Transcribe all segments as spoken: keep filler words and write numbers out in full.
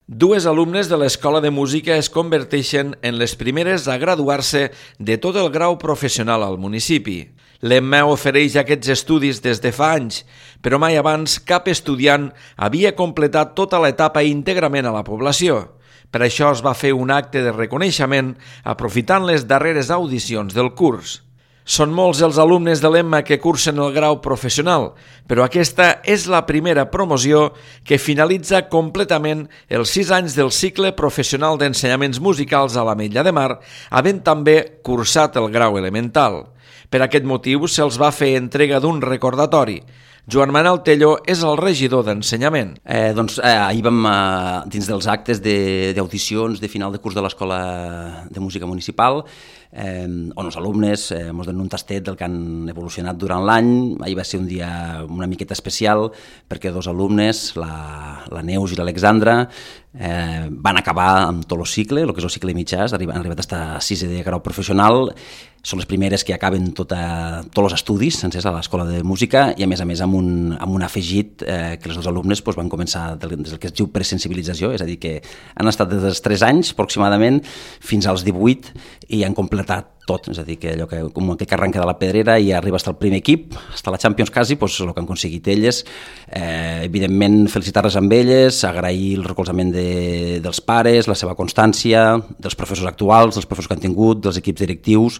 Dues alumnes de l'Escola de Música es converteixen en les primeres a graduar-se de tot el grau professional al municipi. L'Emma ofereix aquests estudis des de fa anys, però mai abans cap estudiant havia completat tota l'etapa íntegrament a la població. Per això es va fer un acte de reconeixement aprofitant les darreres audicions del curs. Són molts els alumnes de l'Emma que cursen el grau professional, però aquesta és la primera promoció que finalitza completament els sis anys del cicle professional d'ensenyaments musicals a l'Ametlla de Mar, havent també cursat el grau elemental. Per aquest motiu se'ls va fer entrega d'un recordatori. Joan Manuel Tello és el regidor d'ensenyament. Eh, doncs eh, ahir vam, eh, dins dels actes d'audicions de, de final de curs de l'Escola de Música Municipal, eh, on els alumnes eh, ens donen un tastet del que han evolucionat durant l'any. Ahir va ser un dia una miqueta especial perquè dos alumnes, la, la Neus i l'Alexandra, eh, van acabar amb tot el cicle, el que és el cicle mitjà, han arribat a estar a sisè de grau professional. Són les primeres que acaben tota, tots els estudis sencers a l'Escola de Música i a més a més amb un, amb un afegit eh, que els dos alumnes doncs, van començar des del que es diu presensibilització, és a dir que han estat des dels tres anys aproximadament fins als divuit i han completat tot, és a dir, que allò que, com aquell que arrenca de la pedrera i arriba fins al primer equip, fins a la Champions quasi, doncs el que han aconseguit elles. Eh, evidentment, felicitar-les amb elles, agrair el recolzament de, dels pares, la seva constància, dels professors actuals, dels professors que han tingut, dels equips directius,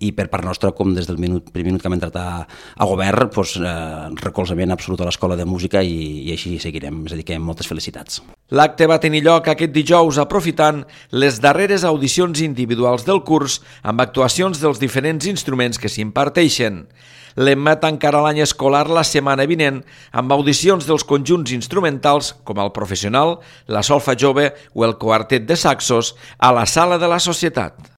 i per part nostra, com des del minut, primer minut que hem entrat a, a govern, doncs, eh, recolzament absolut a l'Escola de Música i, i així seguirem, és a dir, que moltes felicitats. L'acte va tenir lloc aquest dijous aprofitant les darreres audicions individuals del curs amb actuacions dels diferents instruments que s'imparteixen. L'Emma tancarà l'any escolar la setmana vinent amb audicions dels conjunts instrumentals com el professional, la solfa jove o el quartet de saxos a la Sala de la Societat.